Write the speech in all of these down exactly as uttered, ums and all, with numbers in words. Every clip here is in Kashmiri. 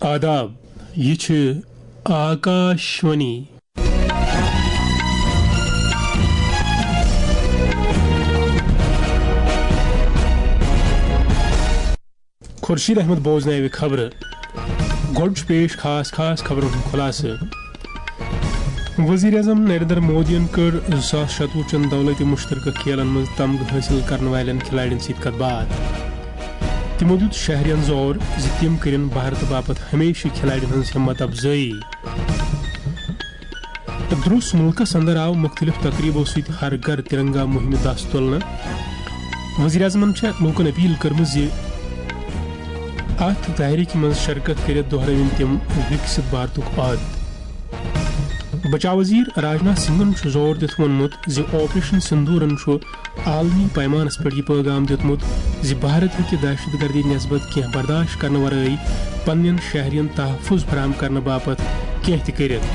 آداب، یہِ چھِ آکاشوانی۔ خورشید احمد بوزناوِ خبرٕ۔ گۄڈٕ چھُ پیش خاص خاص خبرن ہُنٛد خُلاصہٕ۔ وزیر اعظم نریندر مودیَن کٔر زٕ ساس شتوُہ چٮ۪ن دولت مشترکہ کھیلن منٛز تمغہٕ حٲصِل کرن والٮ۪ن کھلاڑٮ۪ن سۭتۍ کتھ باتھ۔ تِمو دیُت شہرین زور زِ تِم کٔرِن بھارتہٕ باپتھ ہمیشہٕ کھلاڑٮ۪ن ہٕنٛز ہمت افزٲیی۔ درٛوس مُلکس اندر آو مُختٔلِف تقریٖبو سۭتۍ ہر گھر ترنگا مُہِمہِ دَس تُلنہٕ۔ وزیر اعظمن چھےٚ لوٗکن اپیل کٔرمٕژ زِ اتھ تحریکہِ منٛز شرکت کٔرِتھ دۄہرٲوِن تِم وِکسِت بھارتُک عہد۔ بچاو وزیر راجناتھ سنگھن چھُ زور دِتھ ووٚنمُت زِ آپریشن سندورن چھُ عالمی پیمانس پٮ۪ٹھ یہِ پٲغام دیُتمُت زِ بھارت ہیٚکہِ دہشت گردی نسبت کینٛہہ برداشت کرنہٕ ورٲے پننٮ۪ن شہرین تحفظ فراہم کرنہٕ باپتھ کینٛہہ تہِ کٔرِتھ۔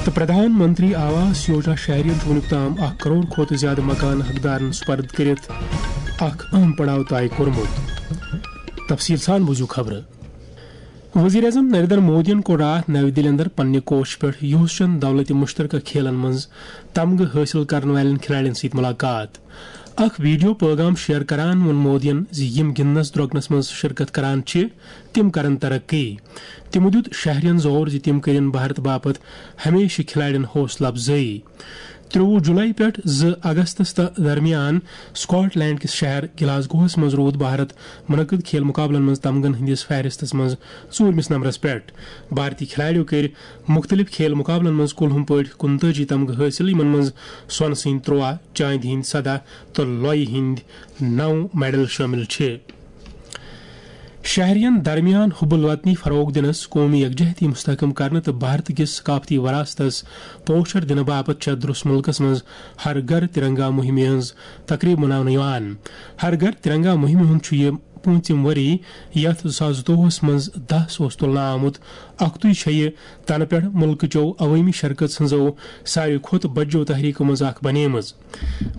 تہٕ پردھان منتری آواس یوجنا شہرین چھُ وُنیُک تام اکھ کرور کھۄتہٕ زیادٕ مکان حقدارن سپرد کٔرِتھ اکھ اہم پڑاو طے کوٚرمُت۔ تفصیل سان بوٗزِو خبرٕ۔ وزیر اعظم نریندر مودیَن کوٚر راتھ نَوِ دِلہِ اندر پننہِ کوٹھہِ پٮ۪ٹھ یوسچن دولت مشترکہ کھیلن منٛز تمغہٕ حٲصِل کرن والٮ۪ن کھلاڑٮ۪ن سۭتۍ ملاقات۔ اکھ ویڈیو پٲغام شیئر کران ووٚن مودیَن زِ یِم گِنٛدنس درۄکنس منٛز شرکت کران چھِ، تِم کرن ترقی۔ تِمو دیُت شہرین زور زِ تِم کٔرِن بھارت باپتھ ہمیشہٕ کھلاڑٮ۪ن حوصلہٕ افزٲیی۔ ترٛۆوُہ جولائی پٮ۪ٹھ زٕ اگستس تہٕ درمیان سکاٹ لینڈ کِس شہر گلاسگوہس منٛز روٗد بھارت منعقد کھیل مقابلن منٛز تمغن ہٕنٛدِس فہرستس منٛز ژوٗرمِس نمبرس پٮ۪ٹھ۔ بھارتی کھلاڑیو کٔرۍ مُختٔلِف کھیل مقابلن منٛز کُلہُم پٲٹھۍ کُنتٲجی تمغہٕ حٲصِل، یِمن منٛز سۄنہٕ سٕنٛدۍ ترٛواہ، چاندِ ہٕنٛدۍ سداہ تہٕ لۄیہِ ہٕنٛدۍ نَو میڈل شٲمِل چھِ۔ شہرین درمیان حب الوطنی فروغ دِنس، قومی یکجہتی مستحکم کرنہٕ تہٕ بھارت کِس ثقافتی وراثتس پوچھر دِنہٕ باپتھ چھےٚ درٛوس مُلکس منٛز ہر گھر ترنگا مُہِمہِ ہٕنٛز تقریب مناونہٕ یِوان۔ ہر گھر ترنگا مُہِمہِ ہُنٛد چھُ یہِ پوٗنٛژِم ؤری، یتھ زٕ ساس زٕتووُہس منٛز دَس اوس تُلنہٕ آمُت۔ اکھتُے چھےٚ یہِ تنہٕ پٮ۪ٹھ مُلکٕچو عوٲمی شرکژ ہٕنٛزو ساروی کھۄتہٕ بجو تحریکو منٛز اکھ بنیمٕژ۔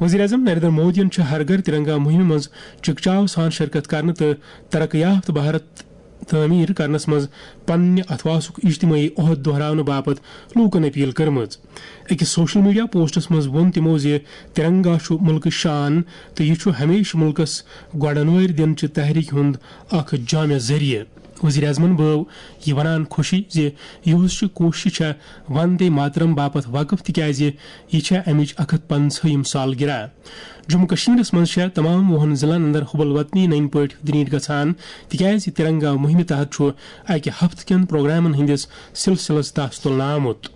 وزیر اعظم نریندر مودیَن چھُ ہر گھر ترنگا مُہِمہِ منٛز چکچاو سان شرکت کرنہٕ تہٕ ترقی یافتہٕ بھارت تعمیٖر کرنس منٛز پننہِ اتھواسُک اجتمٲعی عہد دۄہراونہٕ باپتھ لوٗکن اپیل کٔرمٕژ۔ أکِس سوشل میڈیا پوسٹس منٛز ووٚن تِمو زِ ترنگا چھُ مُلکٕچ شان تہٕ یہِ چھُ ہمیشہٕ مُلکس گۄڈنوٲرۍ دِنہٕ چہِ تحریکہِ ہُنٛد اکھ جامع ذٔریعہٕ۔ وزیر اعظمن بٲو یہِ ونان خوشی زِ یِہُس چہِ کوٗششہِ چھےٚ وندے ماترم باپتھ وقف، تِکیازِ یہِ چھےٚ امِچ اکھ ہتھ پنژہٲیِم سالگرہ۔ جموں کشمیرس منٛز چھےٚ تمام وُہن ضلعن اندر حب الوطنی نٔنۍ پٲٹھۍ دریٹ گژھان، تِکیازِ ترنگا مُہِمہِ تحت چھُ اکہِ ہفتہٕ کٮ۪ن پروگرامن ہٕنٛدِس سلسلس دَس تُلنہٕ آمُت۔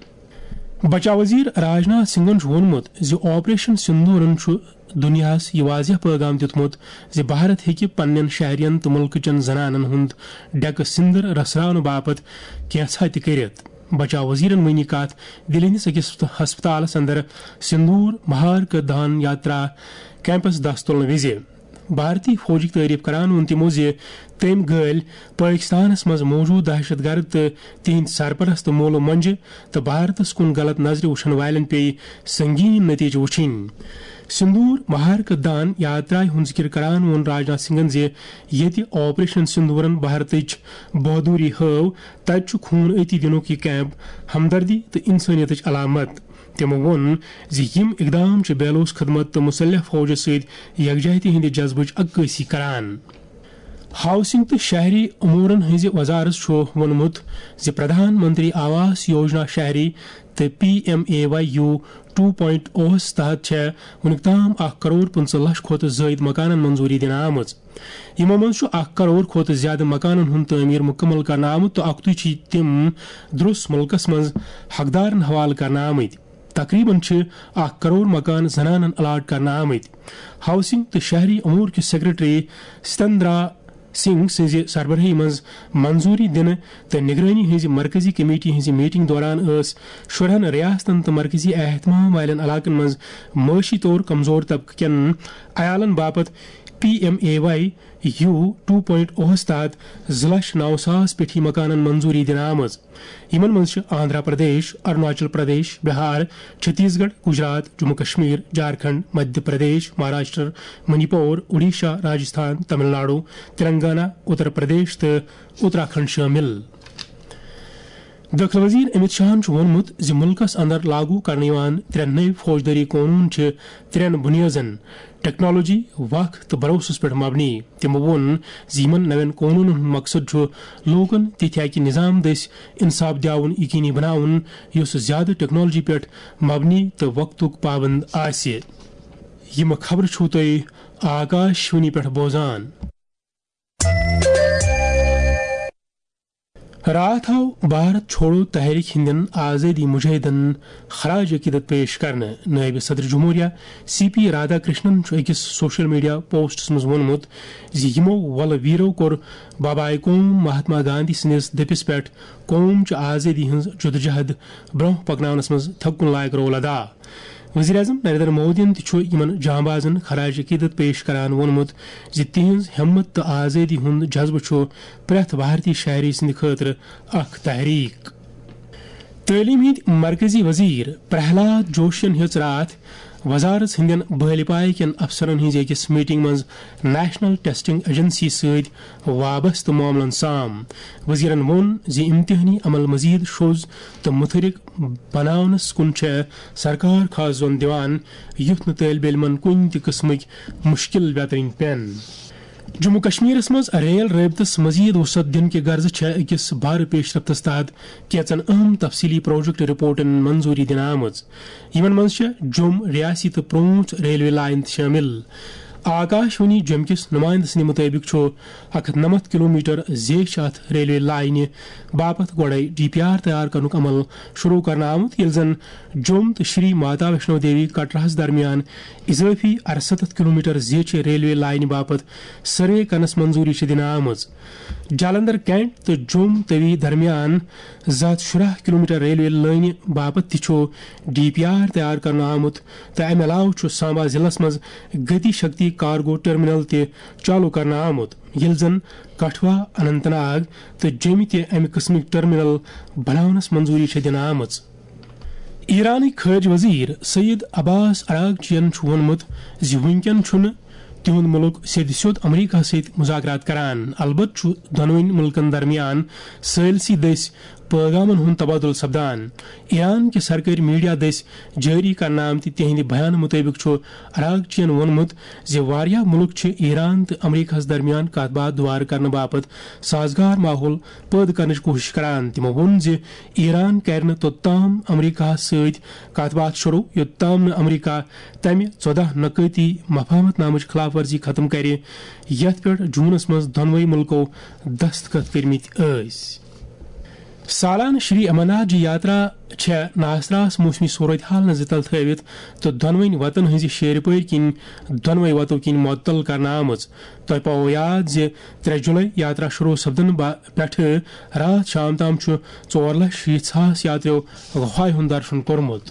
بچاو وزیر راجناتھ سنگھن چھُ ووٚنمُت زِ آپریشن سندورن چھُ دُنیاہَس یہِ واضح پٲغام دیُتمُت زِ بھارت ہیٚکہِ پننٮ۪ن شہرٮ۪ن تہٕ مُلکہٕ چٮ۪ن زنانن ہُنٛد ڈیکہٕ سِندر رژھراونہٕ باپتھ کینٛژھا تہِ کٔرِتھ۔ بچاو وزیرن ؤنۍ یہِ کتھ دِلہِ ہٕنٛدِس أکِس ہسپتالس اندر سندور مہارکہ دان یاترا کیمپس دَس تُلنہٕ وِزِ۔ بھارتی فوجٕکۍ تعریف کران ووٚن تِمو زِ تٔمۍ گٲلۍ پٲکستانس منٛز موجود دہشت گرد تہٕ تِہنٛدۍ سرپرست مولہٕ مۄنجہِ تہٕ بھارتس کُن غلط نظرِ وٕچھن والٮ۪ن پیٚیہِ سنگین نتیجہٕ وٕچھِنۍ۔ سندور مہارکہ دان یاترایہِ ہُنٛد ذکر کران ووٚن راجناتھ سنگھن زِ ییٚتہِ آپریشن سندورن بھارتٕچ بہادری ہٲو، تتہِ چھُ خوٗن أتی دِنُک یہِ کیمپ ہمدردی تہٕ انسٲنیتٕچ علامت۔ تِمو ووٚن زِ یِم اقدام چھِ بیلوس خدمت تہٕ مسلح فوجس سۭتۍ یکجہتی ہٕنٛدِ جذبٕچ عکٲسی کران۔ ہاؤسنگ تہٕ شہری امورن ہٕنٛزِ وزارت چھُ ووٚنمُت زِ پردھان منتری آواس یوجنا شہری تہٕ P M A Y U two point اوس تحت چھےٚ وُنیُک تام اکھ کرور پٕنٛژٕہ لچھ کھۄتہٕ زٲیِد مکانن منظوٗری دِنہٕ آمٕژ۔ یِمو منٛز چھُ اکھ کرور کھۄتہٕ زیادٕ مکانن ہُنٛد تعمیٖر مُکمل کرنہٕ آمُت تہٕ اکھتُے چھِ تِم درٛوس مُلکس منٛز حقدارن حوالہٕ کرنہٕ آمٕتۍ۔ تقریباً چھِ اکھ کرور مکان زنانن الاٹ کرنہٕ آمٕتۍ۔ ہاؤسنگ تہٕ شہری امور کِس سیکرٹری ستندرا سنگھ سٕنٛزِ سربرٲہی منٛز منظوٗری دِنہٕ تہٕ نگرٲنی ہٕنٛزِ مرکزی کمیٹی ہٕنٛزِ میٹنگ دوران ٲس شُرہن ریاستن تہٕ مرکزی اہتمام والٮ۪ن علاقن منٛز معاشی طور کمزور طبقہٕ کٮ۪ن عیالن باپتھ P M A Y U two point اوہس تحت زٕ لچھ نو ساس پیٹھی مکانن منظوری دِنہٕ آمٕژ۔ یِمن منٛز چھِ آندھرا پردیش، اروناچل پردیش، بہار، چھتیس گڑھ، گجرات، جموں کشمیر، جھارکھنڈ، مدھیہ پردیش، مہاراشٹر، منی پور، اوڈیشہ، راجستھان، تمل ناڈو، تلنگانہ، اتر پردیش تہٕ اتراکھنڈ شٲمِل۔ دٲخلہٕ وزیر امت شاہن چھُ ووٚنمُت زِ مُلکَس اندر لاگو کرنہٕ یِوان ترٛےٚ نٔوۍ فوجدٲری قونوٗن چھِ ترٛٮ۪ن بُنیٲدن، ٹیکنالوجی، وق تہٕ بھروسَس پٮ۪ٹھ مبنی۔ تٔمۍ ووٚن زِ یِمَن نوٮ۪ن قونوٗنَن ہُنٛد مقصد چھُ لوٗکَن تِتھۍ اَکہِ نظام دٔسۍ انصاف دِیاوُن یقینی بناوُن، یُس زیادٕ ٹیکنالوجی پٮ۪ٹھ مبنی تہٕ وقتُک پابند آسہِ۔ یِم خبرٕ چھِو تُہۍ آکاش وانی پٮ۪ٹھ بوزان۔ راتھ آو بھارت چھوڑو تحریک ہٕنٛدٮ۪ن آزٲدی مجاہدن خراج عقیدت پیش کرنہٕ۔ نٲیِب صدر جمہوریہ سی پی رادھا کرشنن چھُ أکِس سوشل میڈیا پوسٹس منٛز ووٚنمُت زِ یِمو ولہٕ ویرو کوٚر بابائے قوم مہاتما گاندھی سٕنٛدِس دٔپِس پٮ۪ٹھ قوم چہِ آزٲدی ہٕنٛز جدوجہد برٛونٛہہ پکناونس منٛز تھکُن لایق رول ادا۔ وزیر اعظم نریندر مودیَن تہِ چھُ یِمَن جانبازَن خراج عقیدت پیش کران ووٚنمُت زِ تِہنٛز ہمت تہٕ آزٲدی ہُنٛد جذبہٕ چھُ پرٛٮ۪تھ بھارتی شہری سٕنٛدِ خٲطرٕ اکھ تحریک۔ تعلیٖم ہٕنٛدۍ مرکزی وزیر پرہلاد جوشین ہیٚژ راتھ وزارت ہٕنٛدٮ۪ن بٲلۍ پایہِ کٮ۪ن افسرن ہٕنٛزِ أکِس میٹنگ منٛز نیشنل ٹیسٹنگ ایجنسی سۭتۍ وابستہٕ معاملن سام۔ وزیرن ووٚن زِ امتحٲنی عمل مزید شوٚز تہٕ متحرک بناونس کُن چھےٚ سرکار خاص زون دِوان، یُتھ نہٕ طٲلبہِ علمن کُنہِ تہِ قٕسمٕکۍ مُشکِل ویترٕنۍ پٮ۪ن۔ جموں کشمیرس منٛز ریل رٲبطس مزید وسعت دِنہٕ کہِ غرضہٕ چھےٚ أکِس بھارٕ پیشرفتس تحت کینٛژن اہم تفصیلی پروجیکٹ رپورٹن منظوری دِنہٕ آمٕژ۔ یِمن منٛز چھےٚ جوٚم ریاسی تہٕ پرٛونٛژھ ریلوے لائن تہِ شٲمِل۔ آکاش وانی جوٚم کِس نُمایندٕ سٕنٛدِ مُطٲبِق چھُ اکھ ہتھ نَمَتھ کلومیٹر زیچھِ اتھ ریلوے لائنہِ باپتھ گۄڈَے ڈی پی آر تیار کرنُک عمل شروع کرنہٕ آمُت، ییٚلہِ زن جوٚم تہٕ شری ماتا ویشنو دیوی کٹراہَس درمیان اضٲفی اَرسَتَتھ کلومیٹر زیچھِ ریلوے لائنہِ باپتھ سروے کرنس منظوری چھِ دِنہٕ آمٕژ۔ جالندھر کینٹ تہٕ جوٚم توی درمیان زٕ ہتھ شُراہ کلومیٹر ریلوے لٲنہِ باپتھ تہِ چھُ ڈی پی آر تیار کرنہٕ آمُت تہٕ امہِ علاوٕ چھُ سامبا ضلعس منٛز گتی شکتی کارگو ٹرمینل تہِ چالو کرنہٕ آمُت، ییٚلہِ زن کٹھوا، اننت ناگ تہٕ جوٚمہِ تہِ امہِ قٕسمٕکۍ ٹرمینل بناونس منظوری چھےٚ دِنہٕ آمٕژ۔ ایرانٕکۍ خارجہ وزیر سید عباس عراقچین چھُ ووٚنمُت زِ وُنکٮ۪ن چھُنہٕ تِہُنٛد مُلک سیٚدِ سیوٚد امریکہ سۭتۍ مذاکرات کران۔ البتہ چھُ دۄنوٕنی مُلکن درمیان ثٲلثی دٔسۍ پٲغامن ہُنٛد تبادلہٕ سپدان۔ ایران کہِ سرکٲرۍ میڈیا دٔسۍ جٲری کرنہٕ آمتہِ تِہنٛدِ بیانہٕ مُطٲبِق چھُ عراقچین ووٚنمُت زِ واریاہ مُلک چھِ ایران تہٕ امریکہس درمیان کتھ باتھ دُبارٕ کرنہٕ باپتھ سازگار ماحول پٲدٕ کرنٕچ کوٗشش کران۔ تِمو ووٚن زِ ایران کرِ نہٕ توٚتام امریکہس سۭتۍ کتھ باتھ شروع، یوٚتام نہٕ امریکہ تمہِ ژۄداہ نکٲتی مفاہمت نامٕچ خلاف ورزی ختم کرِ، یتھ پٮ۪ٹھ جوٗنس منٛز دۄنوَے مُلکو دستخط کٔرمٕتۍ ٲسۍ۔ سالانہٕ شری امرناتھ جی یاترا چھےٚ ناسراس موسمی صورتحالن زِتل تھٲوِتھ تہٕ دۄنوٕنۍ وتن ہٕنٛزِ شیرِ پٲرۍ کِنۍ دۄنوَے وتو کِنۍ معطل کرنہٕ آمٕژ۔ تۄہہِ پاوو یاد زِ ترٛےٚ جُلے یاترا شروع سپدن با-، پٮ۪ٹھٕ راتھ شام تام چھُ ژور لچھ شیٖتھ ساس یاتریو غفایہِ ہُنٛد درشن کوٚرمُت۔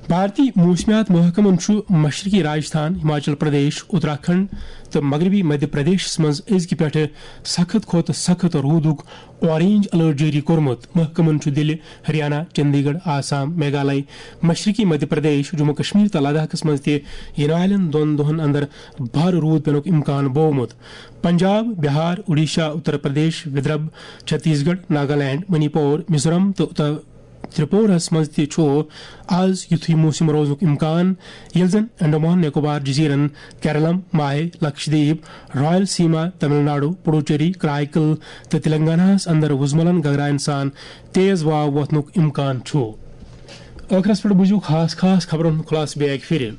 بھارتی موسمیات محکمن چھُ مشرقی راجستھان، ہماچل پردیش، اتراکھنڈ تہٕ مغربی مدھیہ پردیشس منٛز أزکہِ پٮ۪ٹھٕ سخت کھۄتہٕ سخت روٗدُک اورینج الرٹ جٲری کوٚرمُت۔ محکمن چھُ دِلہِ، ہریانہ، چندی گڑھ، آسام، میگھالے، مشرقی مدھیہ پردیش، جموں کشمیر تہٕ لداخس منٛز تہِ یِنہٕ والٮ۪ن دۄن دۄہن اندر بھارٕ روٗد پینُک امکان بوومُت۔ پنجاب، بہار، اوڈیشہ، اتر پردیش، ودربھ، چھتیس گڑھ، ناگالینڈ، منی پور، میزورام تہٕ اتر ترپوراہس منٛز تہِ چھُ آز یُتھُے موسم روزنُک امکان، ییٚلہِ زن انڈمان نکوبار جزیرن، کیرلم، ماہے، لکشدیپ، رائل سیما، تمل ناڈو، پڈوچیری، کرائیکل تہٕ تلنگاناہس اندر وُزملن گگراین سان تیز واو وۄتھنُک امکان چھُ۔ ٲخرس پٮ۪ٹھ بوٗزِو خاص خاص خبرن ہُنٛد خلاصہٕ بیٚیہِ اکہِ پھِرِ۔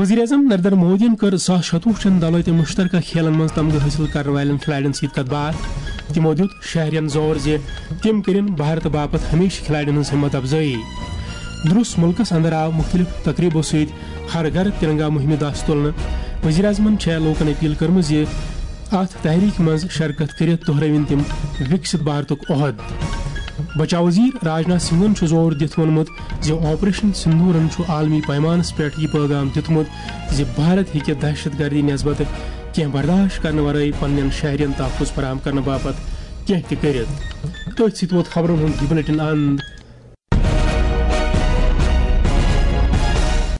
وزیر اعظم نریندر مودیَن کٔر زٕ ساس شتوُہ چٮ۪ن دولٲتۍ مشترکہ کھیلن منٛز تمغہٕ حٲصِل کرن والٮ۪ن کھلاڑٮ۪ن سۭتۍ کتھ باتھ۔ تِمو دیُت شہرین زور زِ تِم کٔرِن بھارت باپتھ ہمیشہٕ کھلاڑٮ۪ن ہٕنٛز ہمت افزٲیی۔ درُس مُلکس اندر آو مُختٔلِف تقریبو سۭتۍ ہر گھر ترنگا مُہِمہِ دَس تُلنہٕ۔ وزیر اعظمن چھےٚ لوٗکن اپیل کٔرمٕژ زِ اتھ تحریک منٛز شرکت کٔرِتھ دۄہرٲوِن تِم وِکسِت بھارتُک عہد۔ بچاو وزیر راجناتھ سنگھن چھُ زور دِتھ ووٚنمُت زِ آپریشن سندورن چھُ عالمی پیمانس پٮ۪ٹھ یہِ پٲغام دیُتمُت زِ بھارت ہیٚکہِ دہشت گردی نسبت کینٛہہ برداشت کرنہٕ ورٲے پننٮ۪ن شہرین تحفظ فراہم کرنہٕ باپتھ کینٛہہ تہِ کٔرِتھ۔ تٔتھۍ سۭتۍ ووت خبرن ہُنٛد یہِ بلیٹن اند۔